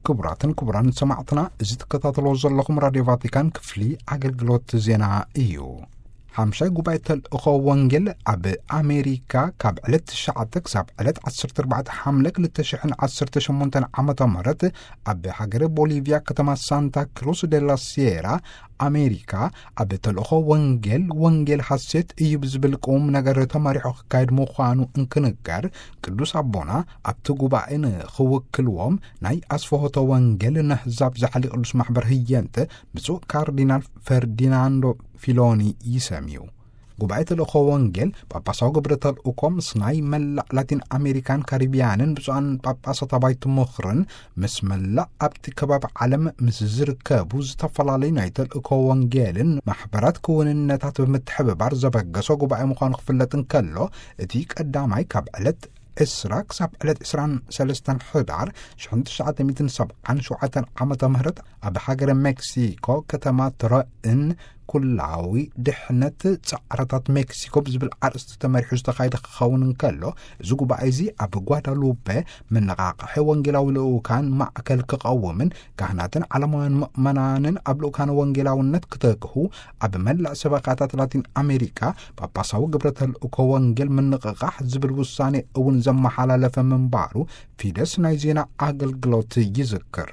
ክቡራትን ክቡራን ሰማዕትና፣ እዚ ትከታተሎ ዘለኹም ራድዮ ቫቲካን ክፍሊ ኣገልግሎት ዜና እዩ። ሓምሻይ ጉባኤ ተልእኾ ወንጌል ኣብ ኣሜሪካ ካብ ዕለት ትሽዓተ ክሳብ ዕለት ዓሰርተ ኣርባዕተ ሓምለ ክልተ ሽሕን ዓሰርተ ሸሞንተን ዓመተ ምህረት ኣብ ሃገረ ቦሊቪያ ከተማ ሳንታ ክሩስ ዴላ ሲየራ ኣሜሪካ ኣብ ተልእኾ ወንጌል፣ ወንጌል ሓሴት እዩ ብዝብል ቁም ነገር ተመሪሖ ክካየድ ምዃኑ እንክንገር፣ ቅዱስ ኣቦና ኣብቲ ጉባኤ ንኽውክልዎም ናይ ኣስፍሆተ ወንጌል ነህዛብ ዛሕሊ ቅዱስ ማሕበር ህየንተ ብፁዕ ካርዲናል ፈርዲናንዶ ፊሎኒ ይሰምዩ። ጉባኤ ተልእኾ ወንጌል ጳጳሳዊ ግብረ ተልእኮ ምስ ናይ መላእ ላቲን ኣሜሪካን ካሪቢያንን ብፁዓን ጳጳሳት ኣባይቲ ምኽርን ምስ መላእ ኣብቲ ከባቢ ዓለም ምስ ዝርከቡ ዝተፈላለዩ ናይ ተልእኮ ወንጌልን ማሕበራት ክውንነታት ብምትሕብባር ዘበገሶ ጉባኤ ምዃኑ ክፍለጥ እንከሎ፣ እቲ ቀዳማይ ካብ ዕለት ዕስራ ክሳብ ዕለት ዕስራን ሰለስተን ሕዳር ሽሕን ትሽዓተ ሚእትን ሰብዓን ሸውዓተን ዓመተ ምህረት ኣብ ሃገረ ሜክሲኮ ከተማ ትረእን ኩላዊ ድሕነት ጻዕረታት ሜክሲኮ ብዝብል ኣርእስቲ ተመሪሑ ዝተኻየደ ክኸውን እንከሎ፣ እዚ ጉባኤ እዚ ኣብ ጓዳሉፔ መነቓቕሒ ወንጌላዊ ልኡካን ማእከል ክቐውምን ካህናትን ዓለማውያን ምእመናንን ኣብ ልኡካን ወንጌላውነት ክተክሁ ኣብ መላእ ሰበኻታት ላቲን ኣሜሪካ ጳጳሳዊ ግብረ ተልእኮ ወንጌል ምንቕቓሕ ዝብል ውሳኔ እውን ዘመሓላለፈ ምንባሩ ፊደስ ናይ ዜና ኣገልግሎት ይዝክር።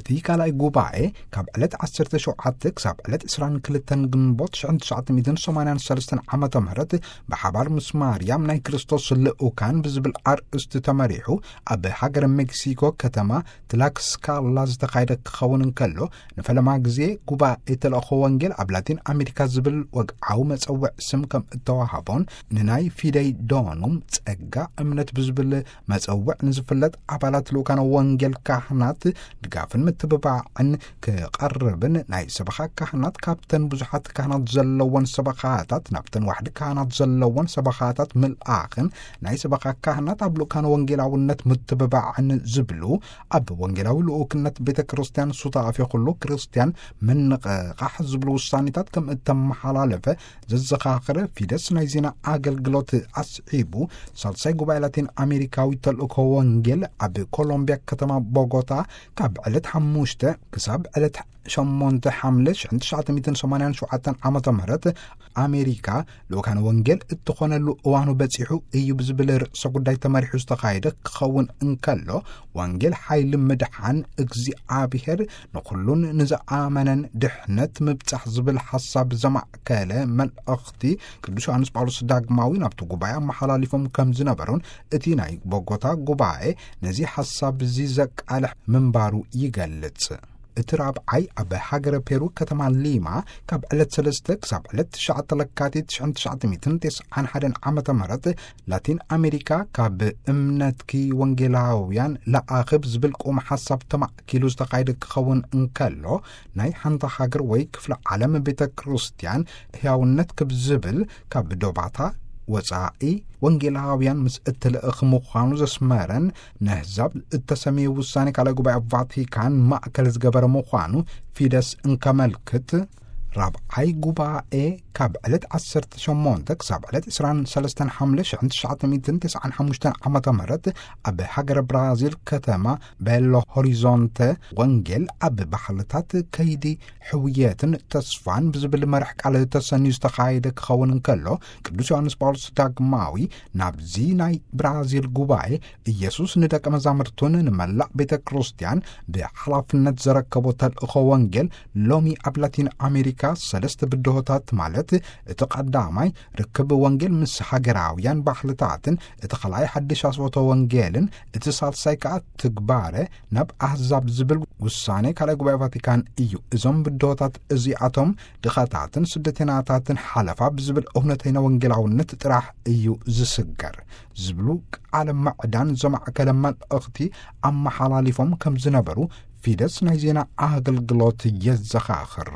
እቲ ካልኣይ ጉባኤ ካብ ዕለት ዓሰርተ ሸውዓተ ክሳብ ዕለት ዕስራን ክልተን ግንቦት ሽሕን ትሽዓተ ሚእትን ሰማንያን ሰለስተን ዓመተ ምህረት ብሓባር ምስ ማርያም ናይ ክርስቶስ ልኡካን ብዝብል ኣርእስቲ ተመሪሑ ኣብ ሃገረ ሜክሲኮ ከተማ ትላክስካላ ዝተኻየደ ክኸውን እንከሎ፣ ንፈለማ ግዜ ጉባኤ ተልእኾ ወንጌል ኣብ ላቲን ኣሜሪካ ዝብል ወግዓዊ መጸውዕ ስም ከም እተዋህቦን ንናይ ፊደይ ዶኑም ጸጋ እምነት ብዝብል መጸውዕ ንዝፍለጥ ኣባላት ልኡካነ ወንጌል ካህናት ድጋፍን ምትብባዕን ክቐርብን ናይ ሰበኻ ካህናት ካብተን ብዙሓት ካህናት ዘለወን ሰበኻታት ናብተን ዋሕዲ ካህናት ዘለወን ሰበኻታት ምልኣኽን ናይ ሰበኻ ካህናት ኣብ ልኡካነ ወንጌላውነት ምትብባዕን ዝብሉ ኣብ ወንጌላዊ ልኡክነት ቤተ ክርስቲያን ሱታፌ ኩሉ ክርስቲያን ምንቕቓሕ ዝብሉ ውሳኔታት ከም እተመሓላለፈ ዘዘኻኽረ ፊደስ ናይ ዜና ኣገልግሎት ኣስዒቡ፣ ሳልሳይ ጉባኤ ላቲን ኣሜሪካዊ ተልእኮ ወንጌል ኣብ ኮሎምቢያ ከተማ ቦጎታ ካብ ዕለት ሓሙሽተ ክሳብ ዕለት ሸሞንተ ሓምለ ሽሕን ትሽዓተ ሚእትን ሰማንያን ሸውዓተን ዓመተ ምህረት ኣሜሪካ ልኡካነ ወንጌል እትኾነሉ እዋኑ በጺሑ እዩ ብዝብል ርእሰ ጉዳይ ተመሪሑ ዝተኻየደ ክኸውን እንከሎ፣ ወንጌል ሓይሊ ምድሓን እግዚኣብሔር ንኹሉን ንዝኣመነን ድሕነት ምብጻሕ ዝብል ሓሳብ ዘማእከለ መልእኽቲ ቅዱስ ዮሃንስ ጳውሎስ ዳግማዊ ናብቲ ጉባኤ ኣመሓላሊፎም ከም ዝነበሩን እቲ ናይ ቦጎታ ጉባኤ ነዚ ሓሳብ እዚ ዘቃልሕ ምንባሩ ይገልጽ። እቲ ራብዓይ ኣብ ሃገረ ፔሩ ከተማ ሊማ ካብ ዕለት ሰለስተ ክሳብ ዕለት ትሽዓተ ለካቲት ሽሕን ትሽዓተ ሚእትን ተስዓን ሓደን ዓመተ ምህረት ላቲን ኣሜሪካ ካብ እምነትኪ ወንጌላውያን ለኣኽብ ዝብል ቁም ሓሳብ ተማእኪሉ ዝተኻየደ ክኸውን እንከሎ፣ ናይ ሓንቲ ሃገር ወይ ክፍለ ዓለም ቤተ ክርስቲያን ህያውነት ክብ ዝብል ካብ ዶባታ ወጻኢ ወንጌላውያን ምስ እትልእኽ ምዃኑ ዘስመረን ነህዛብ እተሰመየ ውሳኔ ካልኣይ ጉባኤ ቫቲካን ማእከል ዝገበረ ምዃኑ ፊደስ እንከመልክት፣ ራብዓይ ጉባኤ ካብ ዕለት ዓሰርተ ሸሞንተ ክሳብ ዕለት ዕስራን ሰለስተን ሓምለ ሽሕን ትሽዓተ ሚእትን ተስዓን ሓሙሽተን ዓመተ ምህረት ኣብ ሃገረ ብራዚል ከተማ ቤሎ ሆሪዞንተ ወንጌል ኣብ ባህልታት ከይዲ ሕውየትን ተስፋን ብዝብል መርሕ ቃል ተሰንዩ ዝተኻየደ ክኸውን እንከሎ፣ ቅዱስ ዮሃንስ ጳውሎስ ዳግማዊ ናብዚ ናይ ብራዚል ጉባኤ ኢየሱስ ንደቀ መዛሙርቱን ንመላእ ቤተ ክርስቲያን ብሓላፍነት ዘረከቦ ተልእኾ ወንጌል ሎሚ ኣብ ላቲን ኣሜሪካ ሰለስተ ብድሆታት ማለት እቲ ቀዳማይ ርክብ ወንጌል ምስ ሃገራውያን ባህልታትን፣ እቲ ኻልኣይ ሓድሽ ኣስቦተ ወንጌልን፣ እቲ ሳልሳይ ከኣ ትግባረ ናብ ኣህዛብ ዝብል ውሳኔ ካልኣይ ጉባኤ ቫቲካን እዩ። እዞም ብድሆታት እዚኣቶም ድኻታትን ስደተናታትን ሓለፋ ብዝብል እውነተይና ወንጌላውነት ጥራሕ እዩ ዝስገር ዝብሉ ቃለ ምዕዳን ዘማእከለ መልእኽቲ ኣመሓላሊፎም ከም ዝነበሩ ፊደስ ናይ ዜና ኣገልግሎት የዘኻኽር።